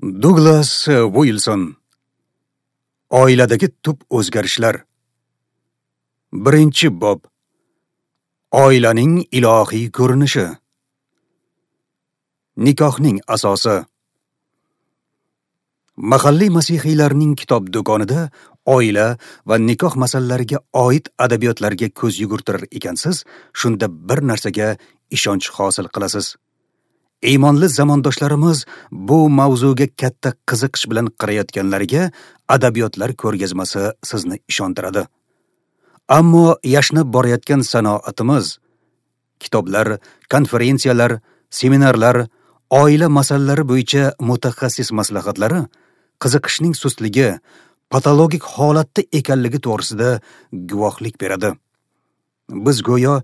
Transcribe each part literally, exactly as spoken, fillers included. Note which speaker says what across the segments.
Speaker 1: Duglas Uilson. Oiladagi tub o'zgarishlar. Birinchi bob. Oilaning ilohiy ko'rinishi. Nikohning asosi. Mahalliy masihiylarning kitob do'konida oila va nikoh masalalariga oid adabiyotlarga ko'z yugurtirar ekansiz, shunda bir narsaga ishonch hosil qilasiz. Iymonli zamondoshlarimiz bu mavzuga katta qiziqish bilan qarayotganlariga adabiyotlar ko'rgazmasi sizni ishontiradi. Ammo yashnab borayotgan sanoatimiz, kitoblar, konferensiyalar, seminarlar, oila masalalari bo'yicha mutaxassis maslahatlari qiziqishning sustligi, patologik holatda ekanligi to'g'risida guvohlik beradi. Biz go'yo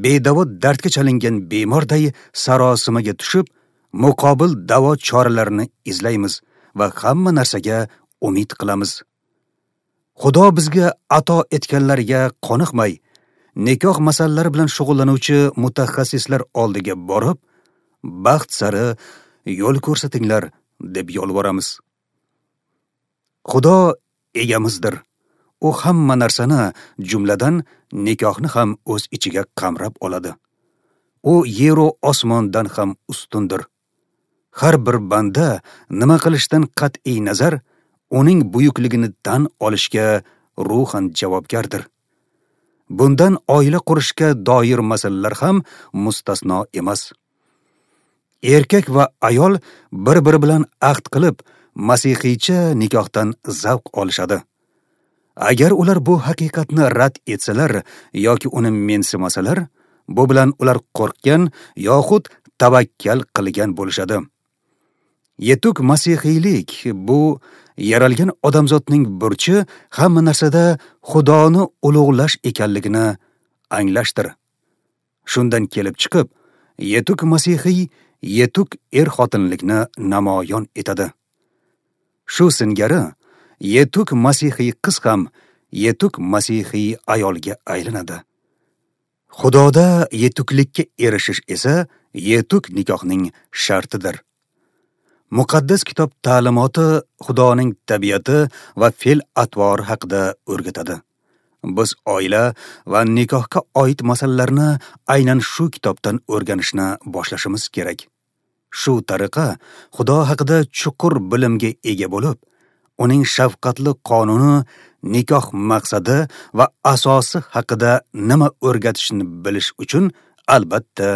Speaker 1: bedavo dardga chalingan bemorday sarosimaga tushib, muqobil davo choralarini izlaymiz va hamma narsaga umid qilamiz. Xudo bizga ato etganlarga qoniqmay, nikoh masalalari bilan shug'ullanuvchi mutaxassislar oldiga borib, baxt sari yo'l ko'rsatinglar deb yolvoramiz. Xudo egamizdir. U hamma narsani, jumladan nikohni ham o'z ichiga qamrab oladi. U yeru osmondan ham ustundir. Har bir banda nima qilishdan qat'iy nazar, uning buyukligini tan olishga ruhan javobgardir. Bundan oila qurishga doir masalalar ham mustasno emas. Erkak va ayol bir-biri bilan ahd qilib, masihiycha nikohdan zavq olishadi. Agar ular bu haqiqatni rad etsalar yoki uni mensimasalar, bu bilan ular qo'rqgan yoxud tavakkal qilgan bo'lishadi. Yetuk masihiylik bu yaralgan odamzodning burchi hamma narsada Xudoni ulug'lash ekanligini anglashdir. Shundan kelib chiqib, yetuk masihiy yetuk er-xotinlikni namoyon etadi. Shu singari yetuk masihiy qiz ham yetuk masihiy ayolga aylanadi. Xudoda yetuklikka erishish esa yetuk nikohning shartidir. Muqaddas kitob ta'limoti Xudoning tabiati va fe'l-atvori haqida o'rgatadi. Biz oila va nikohga oid masalalarni aynan shu kitobdan o'rganishni boshlashimiz kerak. Shu tariqa Xudo haqida chuqur bilimga ega bo'lib, uning shafqatli qonuni, nikoh maqsadi va asosi haqida nima o'rgatishini bilish uchun albatta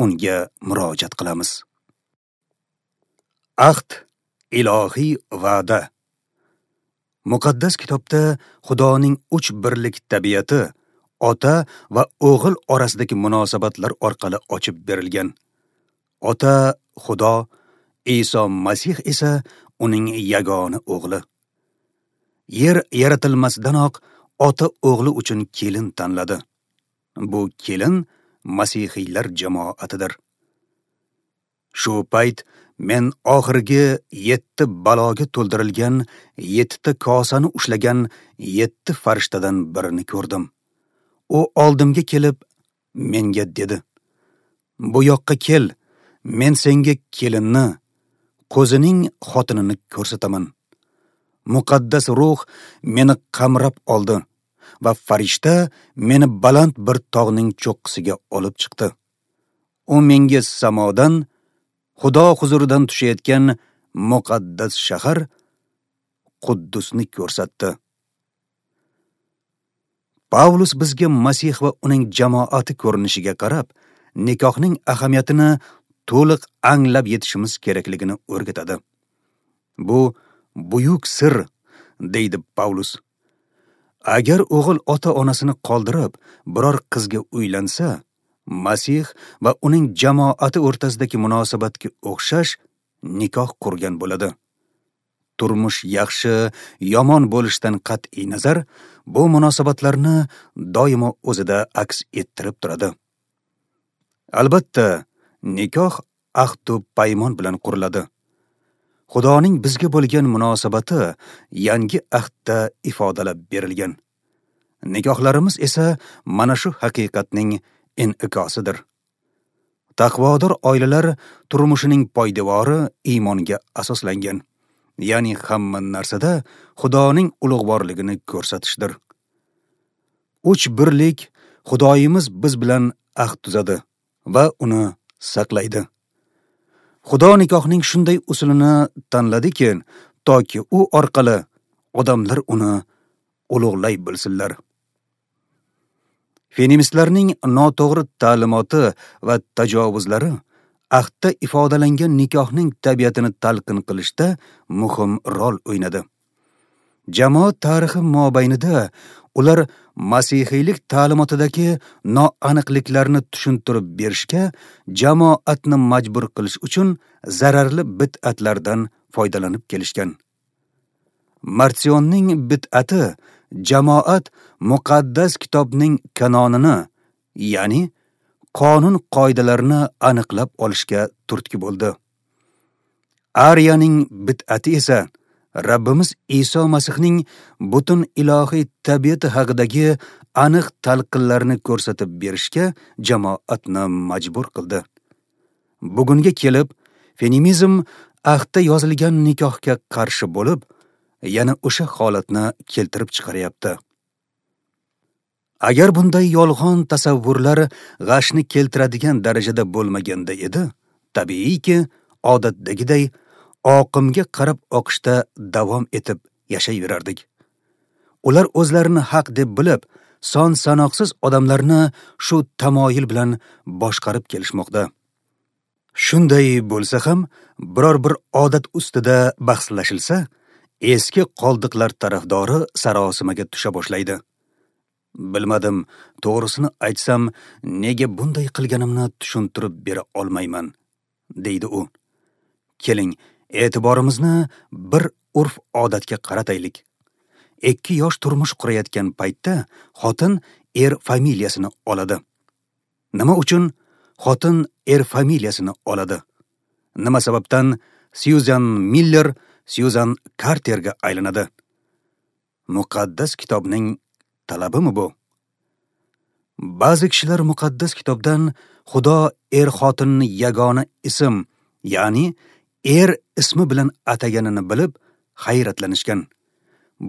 Speaker 1: unga murojaat qilamiz. Ahd ilohiy va'da. Muqaddas kitobda Xudoning uch birlik tabiati ota va o'g'il orasidagi munosabatlar orqali ochib berilgan. Ota Xudo, Iso Masih esa uning yagona o'g'li. Yer yaratilmasidanoq ota o'g'li uchun kelin tanladi. Bu kelin masihiylar jamoatidir. Shu payt men oxirgi yetti baloga to'ldirilgan yettita kosani ushlagan yetti farishtadan birini ko'rdim. U oldimga kelib menga dedi: "Bu yoqqa kel, men senga kelinni, qo'zining xotinini ko'rsataman." Muqaddas ruh meni qamrab oldi va farishta meni baland bir tog'ning cho'qqisiga olib chiqdi. U menga samodan, Xudo huzuridan tushayotgan muqaddas shahar Quddusni ko'rsatdi. Pavlus bizga Masih va uning jamoati ko'rinishiga qarab, nikohning ahamiyatini to'liq anglab yetishimiz kerakligini o'rgatadi. Bu buyuk sir, deydi Pavlus. Agar o'g'il ota-onasini qoldirib, biror qizga uylansa, Masih va uning jamoati o'rtasidagi munosabatga o'xshash nikoh qurgan bo'ladi. Turmush yaxshi, yomon bo'lishidan qat'iy nazar, bu munosabatlarni doimo o'zida aks ettirib turadi. Albatta, nikoh ahdu paymon bilan quriladi. Xudoning bizga bo'lgan munosabati yangi ahdda ifodalab berilgan. Nikohlarimiz esa mana shu haqiqatning in'ikosidir. Taqvodor oilalar turmushining poydevori iymonga asoslangan. Ya'ni hamma narsada Xudoning ulug'vorligini ko'rsatishdir. Uch birlik Xudoyimiz biz bilan ahd tuzadi va uni saqlaydi. Xudo nikohning shunday usulini tanladiki, toki u orqali odamlar uni ulug'lay bilsinlar. Feministlarning noto'g'ri ta'limoti va tajovuzlari ahdda ifodalangan nikohning tabiatini talqin qilishda muhim rol o'ynadi. Jamoat tarixi mobaynida ular masihiylik ta'limotidagi noaniqliklarni tushuntirib berishga jamoatni majbur qilish uchun zararli bid'atlardan foydalanib kelishgan. Marsionning bid'ati jamoat muqaddas kitobning kanonini, ya'ni qonun qoidalarini aniqlab olishga turtki bo'ldi. Ariyaning bid'ati esa Rabbimiz Iso Masihning butun ilohiy tabiati haqidagi aniq talqinlarni ko'rsatib berishga jamoatni majbur qildi. Bugunga kelib feminizm ahdda yozilgan nikohga qarshi bo'lib, yana o'sha holatni keltirib chiqaryapti. Agar bunday yolg'on tasavvurlar g'ashni keltiradigan darajada bo'lmaganda edi, tabiiyki, odatdagiday oqimga qarab oqishda davom etib yashayverardik. Ular o'zlarini haq deb bilib, son sanoqsiz odamlarni shu tamoyil bilan boshqarib kelishmoqda. Shunday bo'lsa ham, biror bir odat ustida bahslashilsa, eski qoldiqlar tarafdori sarosimaga tusha boshlaydi. Bilmadim, to'g'risini aytsam, nega bunday qilganimni tushuntirib bera olmayman, deydi u. Keling, e'tiborimizni bir urf-odatga qarataylik. Ikki yosh turmush qurayotgan paytda xotin er familiyasini oladi. Nima uchun xotin er familiyasini oladi? Nima sababdan Syuzan Miller Syuzan Karterga aylanadi? Muqaddas kitobning talabimi bu? Ba'zi kishilar muqaddas kitobdan Xudo er xotinni yagona ism, ya'ni er ismi bilan ataganini bilib hayratlanishgan.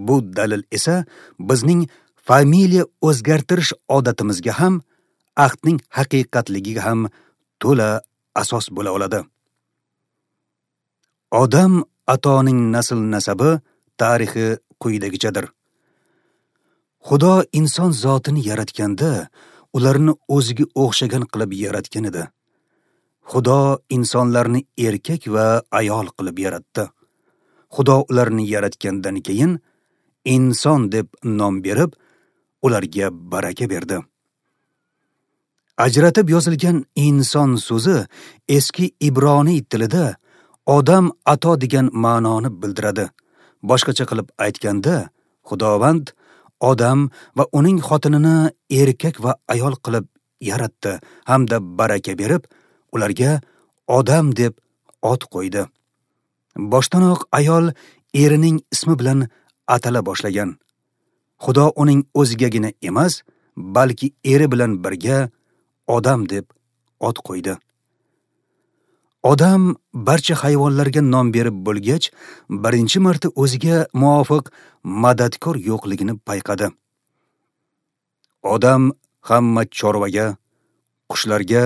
Speaker 1: Bu dalil esa bizning familiya o'zgartirish odatimizga ham, ahdning haqiqatligiga ham to'la asos bo'la oladi. Odam atoning nasl nasabi tarixi quyidagichadir. Xudo inson zotini yaratganda ularni o'ziga o'xshagan qilib yaratgan edi. Xudo insonlarni erkak va ayol qilib yaratdi. Xudo ularni yaratgandan keyin inson deb nom berib, ularga baraka berdi. Ajratib yozilgan inson so'zi eski ibroniy tilida odam ato degan ma'noni bildiradi. Boshqacha qilib aytganda, Xudovand odam va uning xotinini erkak va ayol qilib yaratdi hamda baraka berib, ularga odam deb ot qo'ydi. Boshdanoq ayol erining ismi bilan atala boshlagan. Xudo uning o'zigagina emas, balki eri bilan birga odam deb ot qo'ydi. Odam barcha hayvonlarga nom berib bo'lgach, birinchi marta o'ziga muvofiq madadkor yo'qligini payqadi. Odam hamma chorvaga, qushlarga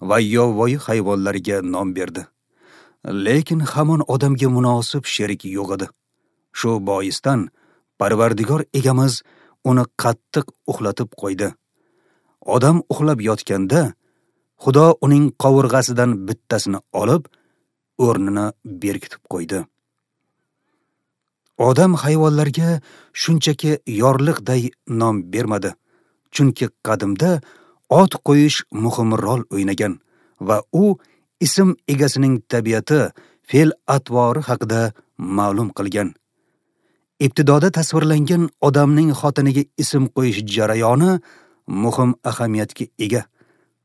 Speaker 1: va yovvoyi hayvonlarga nom berdi. Lekin hamon odamga munosib sherik yo'q edi. Shu boisdan Parvardigor egamiz uni qattiq uxlatib qo'ydi. Odam uxlab yotganda Xudo uning qovurg'asidan bittasini olib, o'rnini berkitib qo'ydi. Odam hayvonlarga shunchaki yorliqday nom bermadi, chunki qadimda ot qo'yish muhim rol o'ynagan va u ism egasining tabiati, fe'l-atvori haqida ma'lum qilgan. Ibtidoda tasvirlangan odamning xotiniga ism qo'yish jarayoni muhim ahamiyatga ega.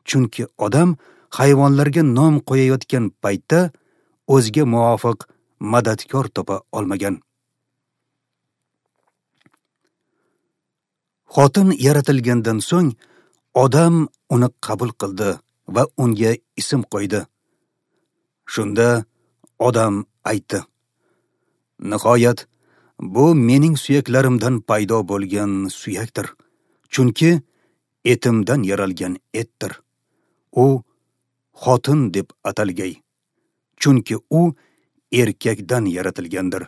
Speaker 1: Chunki odam hayvonlarga nom qo'yayotgan paytda o'ziga muvofiq madadkor topa olmagan. Xotin yaratilgandan so'ng odam uni qabul qildi va unga ism qo'ydi. Shunda odam aytdi: Nihoyat, bu mening suyaklarimdan paydo bo'lgan suyakdir, chunki etimdan yaralgan etdir. U xotin deb atalgay, chunki u erkakdan yaratilgandir.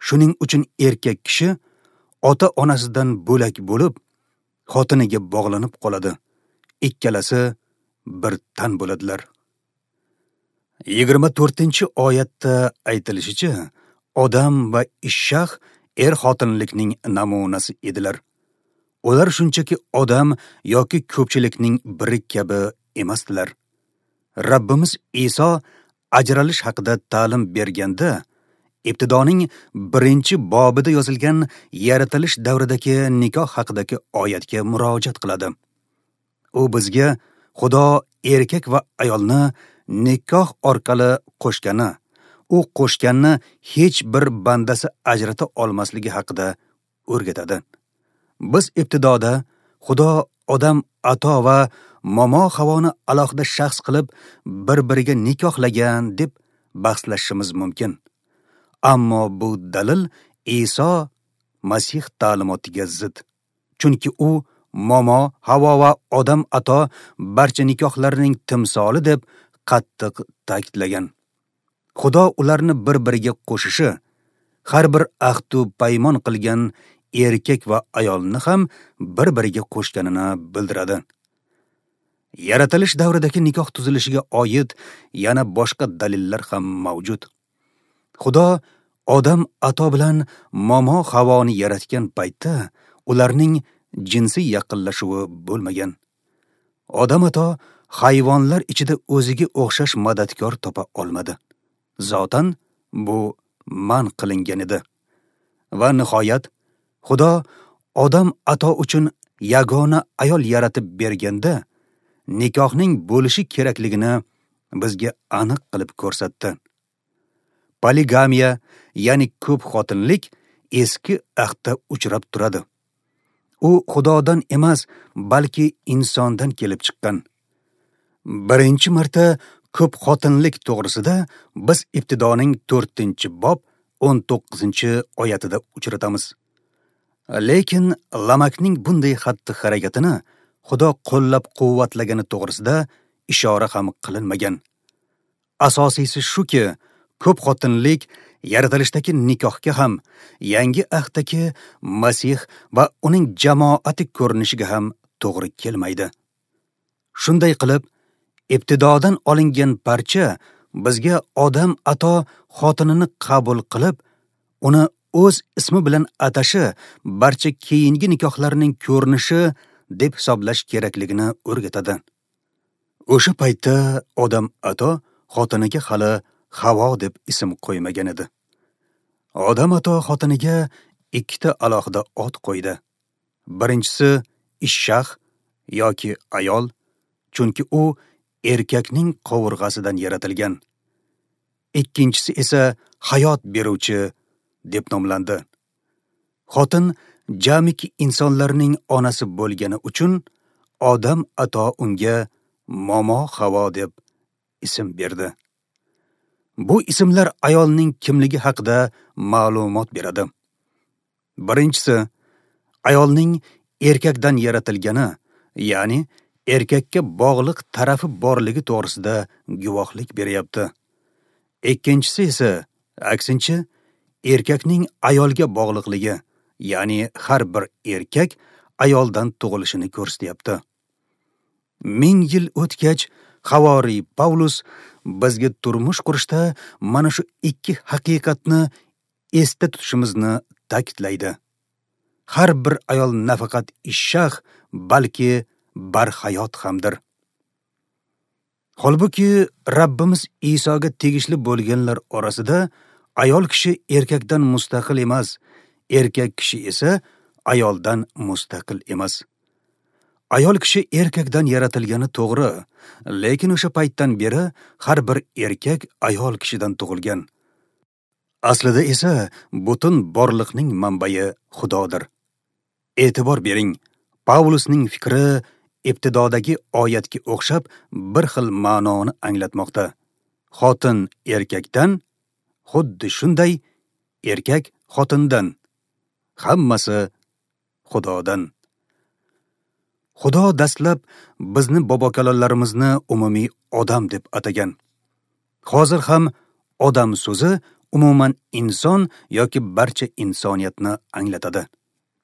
Speaker 1: Shuning uchun erkak kishi ota-onasidan bo'lak bo'lib, xotiniga bog'lanib qoladi. Ikkalasi bir tan bo'ladilar. Yigirma to'rtinchi oyatda aytilishicha, odam va Ishshah er-xotinlikning namunasi edilar. Ular shunchaki odam yoki ko'pchilikning biri kabi emasdilar. Rabbimiz Iso ajralish haqida ta'lim berganda, Ibtidoning birinchi bobida yozilgan yaratilish davridagi nikoh haqidagi oyatga murojaat qiladi. U bizga Xudo erkak va ayolni nikoh orqali qo'shgani, u qo'shganni hech bir bandasi ajrata olmasligi haqida o'rgatadi. Biz ibtidoda Xudo odam ato va momo Havoni alohida shaxs qilib bir-biriga nikohlagan deb bahslashishimiz mumkin. Ammo bu dalil Iso Masih ta'limotiga zid. Chunki u momo Havo va odam ato barcha nikohlarning timsoli deb qattiq ta'kidlagan. Xudo ularni bir-biriga qo'shishi, har bir ahdu paymon qilgan erkak va ayolni ham bir-biriga qo'shganini bildiradi. Yaratilish davridagi nikoh tuzilishiga oid yana boshqa dalillar ham mavjud. Xudo odam ato bilan momo Havoni yaratgan paytda ularning jinsiy yaqinlashuvi bo'lmagan. Odam ato hayvonlar ichida o'ziga o'xshash madadkor topa olmadi. Zotan bu man qilingan edi. Va nihoyat Xudo odam ato uchun yagona ayol yaratib berganda nikohning bo'lishi kerakligini bizga aniq qilib ko'rsatdi. Poligamiya, ya'ni ko'p xotinlik eski ahdda uchrab turadi. U Xudodan emas, balki insondan kelib chiqqan. Birinchi marta ko'p xotinlik to'g'risida biz Ibtidoning to'rtinchi bob o'n to'qqizinchi oyatida uchratamiz. Lekin Lamakning bunday xatti-harakatini Xudo qo'llab-quvvatlagani to'g'risida ishora ham qilinmagan. Asosiysi shuki, ko'p xotinlik yaratilishdagi nikohga ham, yangi ahdagi Masih va uning jamoati ko'rinishiga ham to'g'ri kelmaydi. Shunday qilib, ibtidodan olingan parcha bizga odam ato xotinini qabul qilib, uni o'z ismi bilan atashi barcha keyingi nikohlarning ko'rinishi deb hisoblash kerakligini o'rgatadi. O'sha paytda odam ato xotiniga hali Havo deb ism qo'ymagan edi. Odam ato xotiniga ikkita alohida ot qo'ydi. Birinchisi Ishshah yoki ayol, chunki u erkakning qovurg'asidan yaratilgan. Ikkinchisi esa hayot beruvchi deb nomlandi. Xotin jamiki insonlarning onasi bo'lgani uchun odam ato unga Momo Havo deb ism berdi. Bu ismlar ayolning kimligi haqida ma'lumot beradi. Birinchisi, ayolning erkakdan yaratilgani, ya'ni erkakka bog'liq tarafi borligi to'g'risida guvohlik beryapti. Ikkinchisi esa, aksincha, erkakning ayolga bog'liqligi, ya'ni har bir erkak ayoldan tug'ilishini ko'rsatyapti. Ming yil o'tgach, Havoriy Pavlus bizga turmush qurishda mana shu ikki haqiqatni esda tutishimizni ta'kidlaydi. Har bir ayol nafaqat ishshah, balki barhayot hamdir. Holbuki Rabbimiz Isoga tegishli bo'lganlar orasida ayol kishi erkakdan mustaqil emas, erkak kishi esa ayoldan mustaqil emas. Ayol kishi erkakdan yaratilgani to'g'ri, lekin o'sha paytdan beri har bir erkak ayol kishidan tug'ilgan. Aslida esa butun borliqning manbai Xudodir. E'tibor bering, Pavlusning fikri ibtidodagi oyatga o'xshab bir xil ma'noni anglatmoqda. Xotin erkakdan, xuddi shunday erkak xotindan. Hammasi Xudodan. Xudo dastlab bizni bobokalonlarimizni umumiy odam deb atagan. Hozir ham odam so'zi umuman inson yoki barcha insoniyatni anglatadi.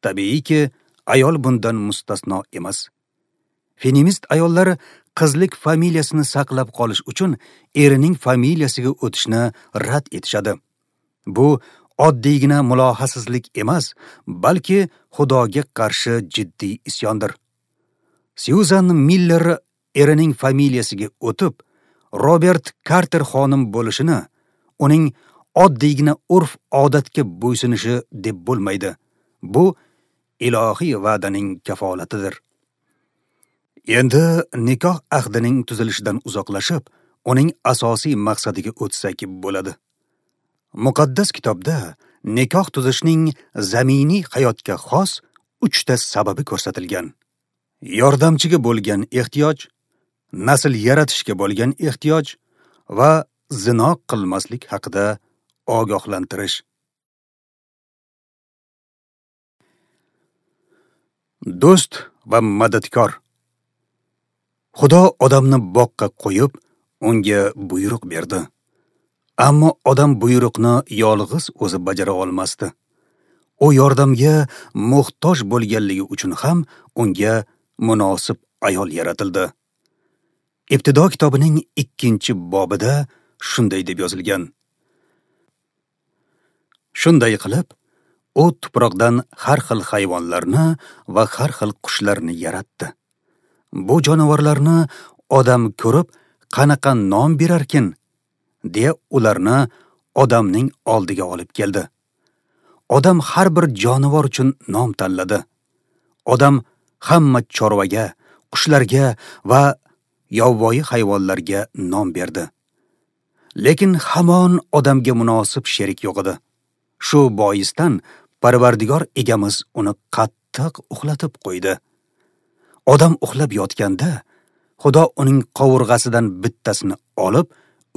Speaker 1: Tabiiyki, ayol bundan mustasno emas. Feminist ayollar qizlik familiyasini saqlab qolish uchun erining familiyasiga o'tishni rad etishadi. Bu oddiygina mulohasizlik emas, balki Xudoga qarshi jiddiy isyondir. Syuzan Miller erining familiyasiga o'tib, Robert Karter xonim bo'lishini, uning oddiygina urf-odatga bo'ysunishi deb bo'lmaydi. Bu ilohiy va'daning kafolatidir. Endi nikoh ahdining tuzilishidan uzoqlashib, uning asosiy maqsadiga o'tsak bo'ladi. Muqaddas kitobda nikoh tuzishning zaminiy hayotga xos uchta sababi ko'rsatilgan. Yordamchiga bo'lgan ehtiyoj, nasl yaratishga bo'lgan ehtiyoj va zino qilmaslik haqida ogohlantirish. Do'st va madadkor. Xudo odamni boqqa qo'yib, unga buyruq berdi. Ammo odam buyruqni yolg'iz o'zi bajara olmasdi. U yordamga muhtoj bo'lganligi uchun ham unga munosib ayol yaratildi. Ibtido kitobining ikkinchi bobida shunday deb yozilgan. Shunday qilib, u tuproqdan har xil hayvonlarni va har xil qushlarni yaratdi. Bu jonivorlarni odam ko'rib qanaqa nom berarkin, deya ularni odamning oldiga olib keldi. Odam har bir jonivor uchun nom tanladi. Odam hamma chorvaga, qushlarga va yovvoyi hayvonlarga nom berdi. Lekin hamon odamga munosib sherik yo'q edi. Shu boisdan Parvardigor egamiz uni qattiq uxlatib qo'ydi. Odam uxlab yotganda, Xudo uning qovurg'asidan bittasini olib,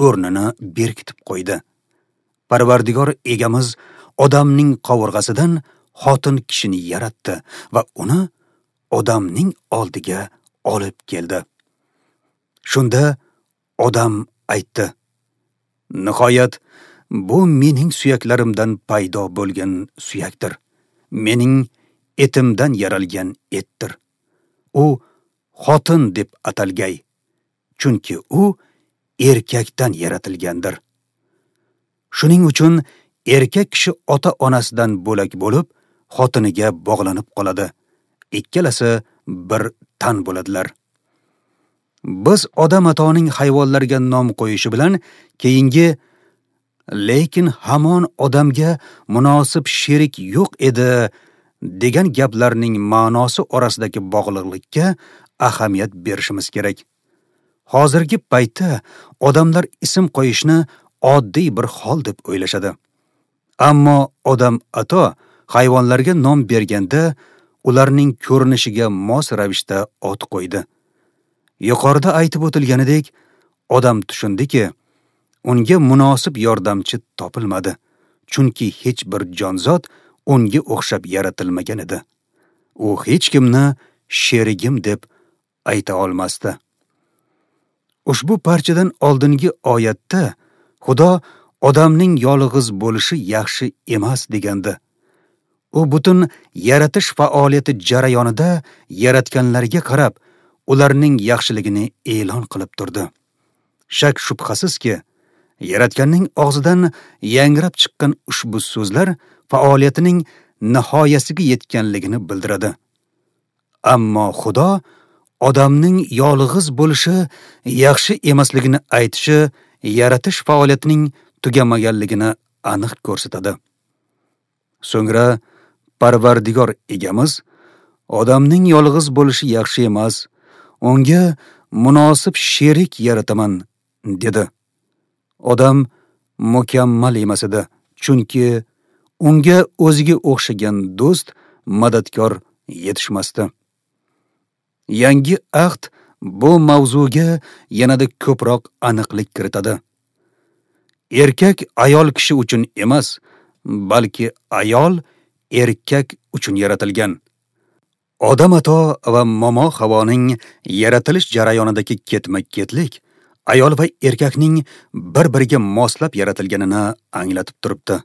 Speaker 1: o'rnini berkitib qo'ydi. Parvardigor egamiz odamning qovurg'asidan xotin kishini yaratdi va uni odamning oldiga olib keldi. Shunda odam aytdi: Nihoyat, bu mening suyaklarimdan paydo bo'lgan suyakdir. Mening etimdan yaralgan etdir. U xotin deb atalgay, chunki u erkakdan yaratilgandir. Shuning uchun erkak kishi ota-onasidan bo'lak bo'lib, xotiniga bog'lanib qoladi. Ikkalasi bir tan bo'ladilar. Biz odam atoning hayvonlarga nom qo'yishi bilan keyingi lekin hamon odamga munosib sherik yo'q edi degan gaplarning ma'nosi orasidagi bog'liqlikka ahamiyat berishimiz kerak. Hozirgi paytda odamlar ism qo'yishni oddiy bir hol deb o'ylashadi. Ammo odam ato hayvonlarga nom berganda ularning ko'rinishiga mos ravishda ot qo'ydi. Yuqorida aytib o'tilganidek, odam tushundiki, unga munosib yordamchi topilmadi, chunki hech bir jonzot unga o'xshab yaratilmagan edi. U hech kimni sherigim deb ayta olmasdi. Ushbu parchadan oldingi oyatda Xudo odamning yolg'iz bo'lishi yaxshi emas degandi. U butun yaratish faoliyati jarayonida yaratganlarga qarab, ularning yaxshiligini e'lon qilib turdi. Shak shubhasizki, Yaratganning og'zidan yangrab chiqqan ushbu so'zlar faoliyatining nihoyasiga yetganligini bildiradi. Ammo Xudo odamning yolg'iz bo'lishi yaxshi emasligini aytishi yaratish faoliyatining tugamaganligini aniq ko'rsatadi. So'ngra Parvardigor egamiz odamning yolg'iz bo'lishi yaxshi emas, unga munosib sherik yarataman dedi. Odam mukammal emas edi, chunki unga o'ziga o'xshagan do'st, madadkor yetishmasdi. Yangi ahd bu mavzuga yanada ko'proq aniqlik kiritadi. Erkak ayol kishi uchun emas, balki ayol erkak uchun yaratilgan. Odam ato va momo Havoning yaratilish jarayonidagi ketma-ketlik ayol va erkakning bir-biriga moslab yaratilganini anglatib turibdi.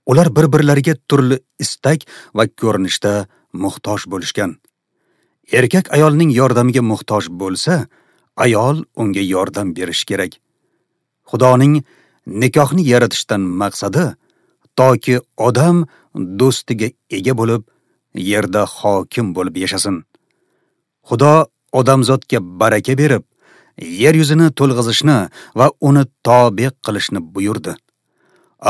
Speaker 1: Ular bir-birlariga turli istak va ko'rinishda muhtoj bo'lishgan. Erkak ayolning yordamiga muhtoj bo'lsa, ayol unga yordam berishi kerak. Xudoning nikohni yaratishdan maqsadi toki odam do'stiga ega bo'lib, yerda hokim bo'lib yashasin. Xudo odamzodga baraka berib, yer yuzini to'lg'izishni va uni tobe qilishni buyurdi.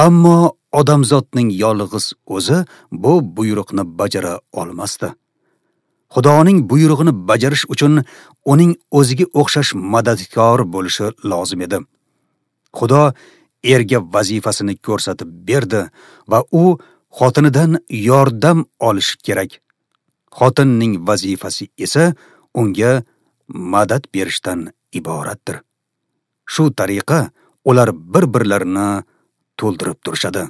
Speaker 1: Ammo odamzodning yolg'iz o'zi bu buyruqni bajara olmasdi. Xudoning buyrug'ini bajarish uchun uning o'ziga o'xshash madadkor bo'lishi lozim edi. Xudo erga vazifasini ko'rsatib berdi va u xotinidan yordam olishi kerak. Xotinning vazifasi esa unga madad berishdan iboratdir. Shu tariqa ular bir-birlarini to'ldirib turishadi.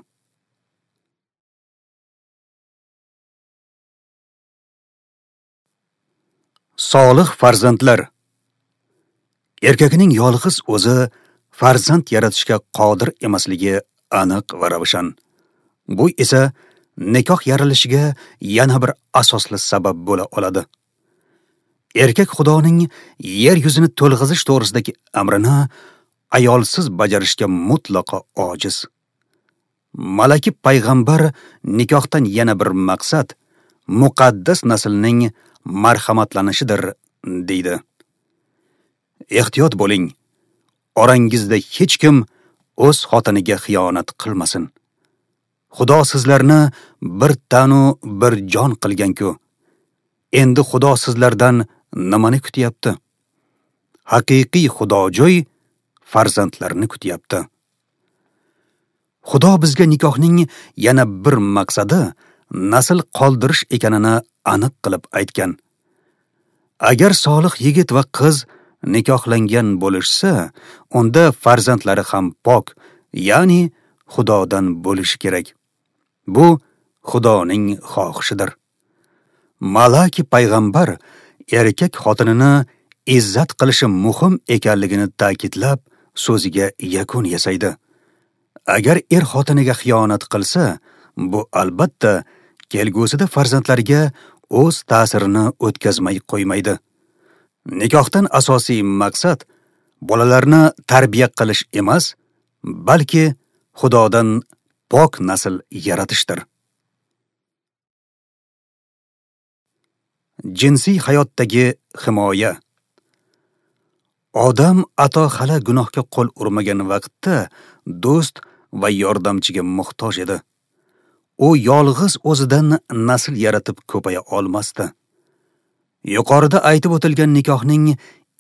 Speaker 1: Solih farzandlar. Erkakning yolg'iz o'zi farzand yaratishga qodir emasligi aniq va ravshan. Bu esa nikoh yarilishiga yana bir asosli sabab bo'la oladi. Erkak Xudoning yer yuzini to'lg'izish to'g'risidagi amrini ayolsiz bajarishga mutlaqo ojiz. Malaki payg'ambar nikohdan yana bir maqsad muqaddas naslning marhamatlanishidir deydi. Ehtiyot bo'ling. Orangizda hech kim o'z xotiniga xiyonat qilmasin. Xudo sizlarni bir tanu bir jon qilgan-ku. Endi Xudo sizlardan nimani kutyapti? Haqiqiy xudojo'y farzandlarni kutyapti. Xudo bizga nikohning yana bir maqsadi nasl qoldirish ekanini aniq qilib aytgan. Agar solih yigit va qiz nikohlangan bo'lishsa, unda farzandlari ham pok, ya'ni Xudodan bo'lishi kerak. Bu Xudoning xohishidir. Malaki payg'ambar erkak xotinini izzat qilishi muhim ekanligini ta'kidlab, so'ziga yakun yasaydi. Agar er xotiniga xiyonat qilsa, bu albatta kelgusida farzandlariga o'z ta'sirini o'tkazmay qo'ymaydi. Nikohdan asosiy maqsad bolalarni tarbiya qilish emas, balki Xudodan pok nasl yaratishdir. Jinsiy hayotdagi himoya. Odam ato hali gunohga qo'l urmagan vaqtda do'st va yordamchiga muhtoj edi. U yolg'iz o'zidan nasl yaratib ko'paya olmasdi. Yuqorida aytib o'tilgan nikohning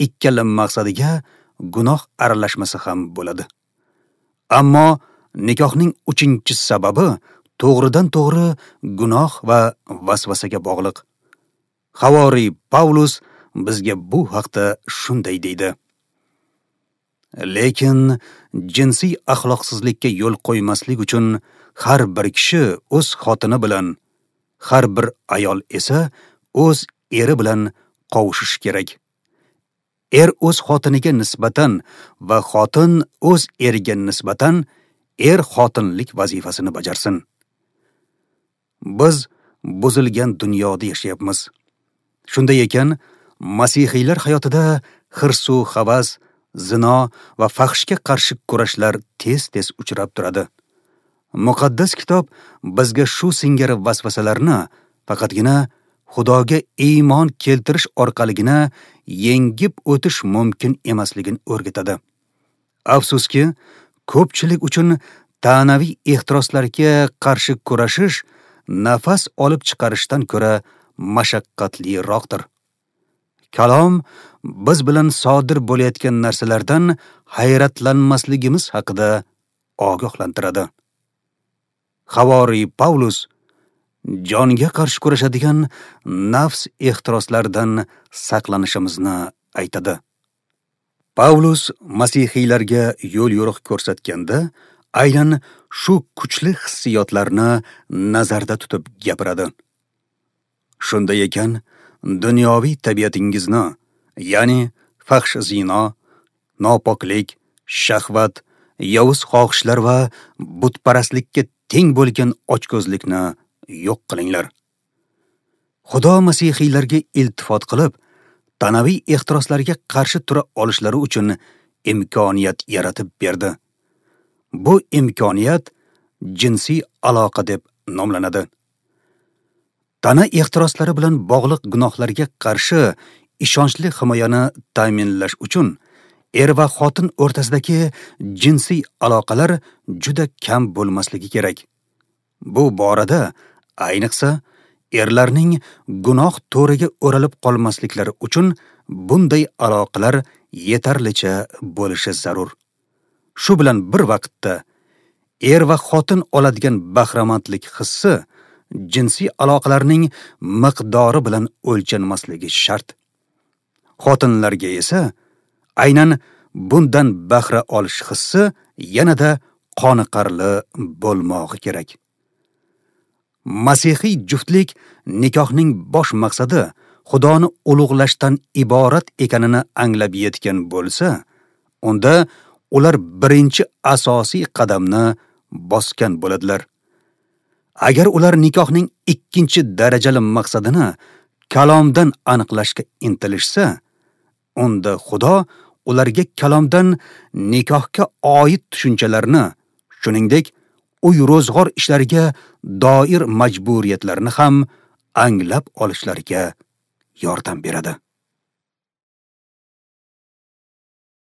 Speaker 1: ikkala maqsadiga gunoh aralashmasi ham bo'ladi. Ammo nikohning uchinchi sababi to'g'ridan-to'g'ri gunoh va vasvasaga bog'liq. Havoriy Pavlus bizga bu haqda shunday deydi: Lekin jinsiy axloqsizlikka yo'l qo'ymaslik uchun har bir kishi o'z xotini bilan, har bir ayol esa o'z eri bilan qovushishi kerak. Er o'z xotiniga nisbatan va xotin o'z eriga nisbatan er xotinlik vazifasini bajarsin. Biz buzilgan dunyoda yashayapmiz. Shunday ekan, masihiylar hayotida hirsu havas, zino va fahshga qarshi kurashlar tez-tez uchrab turadi. Muqaddas kitob bizga shu singari vasvasalarni faqatgina Xudoga iymon keltirish orqaligina yengib o'tish mumkin emasligini o'rgatadi. Afsuski, ko'pchilik uchun ta'naviy ehtiroslarga qarshi kurashish nafas olib chiqarishdan ko'ra mashaqqatliroqdir. Kalom biz bilan sodir bo'layotgan narsalardan hayratlanmasligimiz haqida ogohlantiradi. Havoriy Pavlus jonga qarshi kurashadigan nafs ehtiroslaridan saqlanishimizni aytadi. Pavlus masihiylarga yo'l-yo'riq ko'rsatganda aynan shu kuchli hissiyotlarni nazarda tutib gapiradi. Shunday ekan, dunyoviy tabiatingizni, ya'ni fahsh zino, nopoklik, shahvat, yovuz xohishlar va butparastlikka teng bo'lgan ochko'zlikni yo'q qilinglar. Xudo masihiylarga iltifot qilib, tanaviy ehtiroslarga qarshi tura olishlari uchun imkoniyat yaratib berdi. Bu imkoniyat jinsiy aloqa deb nomlanadi. Tana ehtiroslari bilan bog'liq gunohlarga qarshi ishonchli himoyani ta'minlash uchun er va xotin o'rtasidagi jinsiy aloqalar juda kam bo'lmasligi kerak. Bu borada ayniqsa erlarning gunoh to'riga o'ralib qolmasliklari uchun bunday aloqalar yetarlicha bo'lishi zarur. Shu bilan bir vaqtda er va xotin oladigan bahramandlik hissi jinsiy aloqalarning miqdori bilan o'lchanmasligi shart. Xotinlarga esa aynan bundan bahra olish hissi yanada qoniqarli bo'lmog'i kerak. Masihiy juftlik nikohning bosh maqsadi Xudoni ulug'lashdan iborat ekanini anglab yetgan bo'lsa, unda ular birinchi asosiy qadamni bosgan bo'ladilar. Agar ular nikohning ikkinchi darajali maqsadini kalomdan aniqlashga intilishsa, unda Xudo ularga kalomdan nikohga oid tushunchalarni, shuningdek, uy ro'zg'or ishlariga doir majburiyatlarni ham anglab olishlariga yordam beradi.